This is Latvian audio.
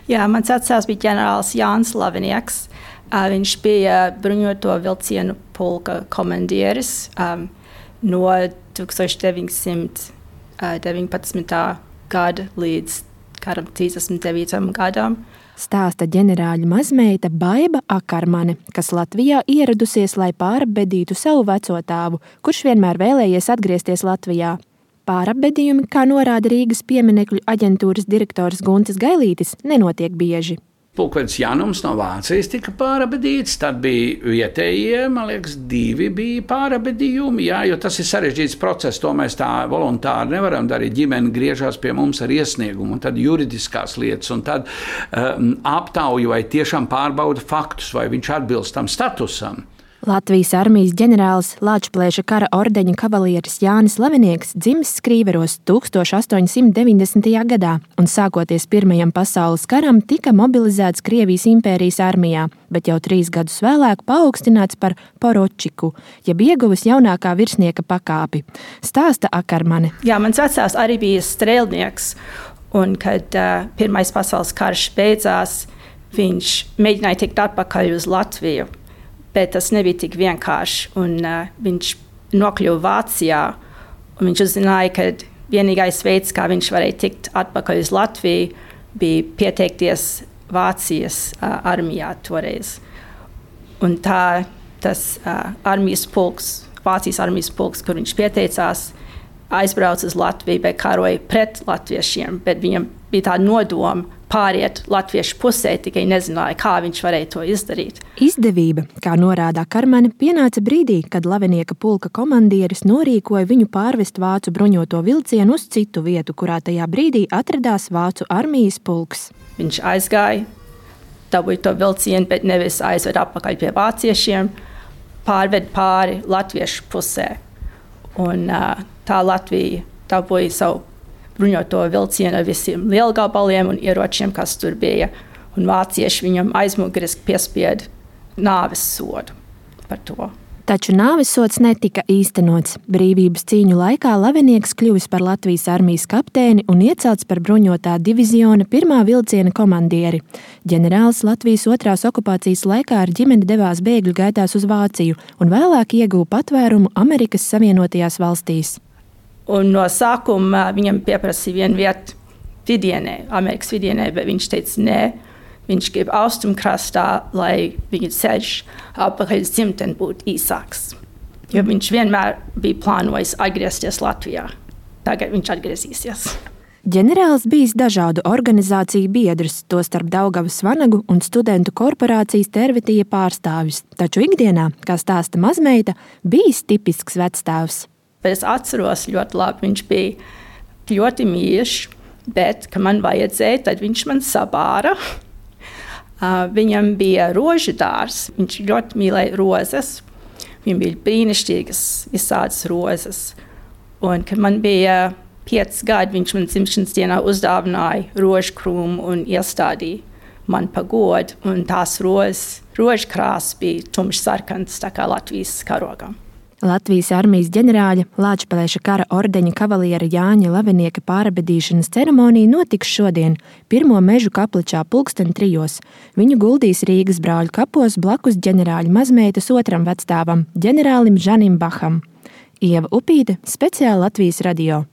Jā, mans vecāks bija ģenerālis Jānis Lavinieks. Viņš bija bruņoto vilcienu pulka komandieris no 1919. Gada līdz 39. gadam. Stāsta ģenerāļa mazmeita Baiba Akarmane, kas Latvijā ieradusies, lai pārapbedītu savu veco tēvu, kurš vienmēr vēlējies atgriezties Latvijā. Pārapbedījumi, kā norāda Rīgas pieminekļu aģentūras direktors Guntis Gailītis, nenotiek bieži. Pulkvedis Janums no Vācijas tika pārabedīts, tad bija vietējie, man liekas, 2 bija pārabedījumi, jā, jo tas ir sarežģīts process, to mēs tā voluntāri nevaram darīt. Ģimene griežās pie mums ar iesniegumu, un tad juridiskās lietas, un tad aptauju vai tiešām pārbauda faktus, vai viņš atbilst tam statusam. Latvijas armijas ģenerālis Lāčplēša kara ordeņa kavalieris Jānis Lavinieks dzimis Skrīveros 1890. gadā un sākoties Pirmajam pasaules karam tika mobilizēts Krievijas impērijas armijā, bet jau 3 gadus vēlāk paaugstināts par poročiku, jeb ieguvis jaunākā virsnieka pakāpi. Stāsta Akarmane. Jā, mans vecāks arī bija strēlnieks, un kad Pirmais pasaules karš beidzās, viņš mēģināja tikt atpakaļ uz Latviju. Bet tas nebija tik vienkārši, un viņš nokļuva Vācijā, un viņš uzzināja, ka vienīgais veids, kā viņš varēja tikt atpakaļ uz Latviju, bija pieteikties Vācijas armijā toreiz. Un tas armijas pulks, Vācijas armijas pulks, kur viņš pieteicās, aizbrauca uz Latviju, bet karoja pret latviešiem, bet viņam bija tā nodoma pāriet latviešu pusē, tikai nezināja, kā viņš varēja to izdarīt. Izdevība, kā norāda Akarmane, pienāca brīdī, kad Lavinieka pulka komandieris norīkoja viņu pārvest vācu bruņoto vilcienu uz citu vietu, kurā tajā brīdī atradās vācu armijas pulks. Viņš aizgāja, dabūja to vilcienu, bet nevis aizved atpakaļ pie vāciešiem, pārved pāri latviešu pusē. Un tā Latvija dabūja savu bruņoto vilcienu ar visiem lielgabaliem un ieročiem, kas tur bija. Un vācieši viņam aizmuguriski piespieda nāves sodu par to. Taču nāves sods netika īstenots. Brīvības cīņu laikā Lavinieks kļuvis par Latvijas armijas kapteini un iecelts par bruņotā diviziona 1. vilciena komandieri. Ģenerālis Latvijas 2. okupācijas laikā ar ģimeni devās bēgļu gaitās uz Vāciju un vēlāk ieguva patvērumu Amerikas Savienotajās valstīs. Un no sākuma viņam pieprasīja vienu vietu vidienē, Amerikas vidienē, bet viņš teica nē. Viņš grib austrumkrastā, lai viņa ceļš atpakaļ uz dzimteni būtu īsāks. Jo viņš vienmēr bija plānojis atgriezties Latvijā. Tagad viņš atgriezīsies. Ģenerālis bijis dažādu organizāciju biedrs, tostarp Daugavas Vanagu un studentu korporācijas Tervitija pārstāvis. Taču ikdienā, kā stāsta mazmeita, bijis tipisks vectēvs. Bet es atceros ļoti labi, viņš bija ļoti mīļš, bet, kad man vajadzēja, tad viņš man sabāra. Viņam bija rožu dārs, viņš ļoti mīlēja rozes. Viņam bija brīnišķīgas visādas rozes. Un, kad man bija 5 gadi, viņš man dzimšanas dienā uzdāvināja rožu krūmu un iestādīja man pa godu. Un tās rožu krāsas bija tumšsarkanas, tā kā Latvijas karogam. Latvijas armijas ģenerāļa Lāčplēša kara ordeņa kavaliera Jāņa Lavinieka pārabedīšanas ceremonija notiks šodien, 1. mežu kapličā 3:00. Viņu guldīs Rīgas brāļu kapos blakus ģenerāļa mazmeitas 2. vecstāvam, ģenerālim Žanim Baham. Ieva Upīte, speciāli Latvijas radio.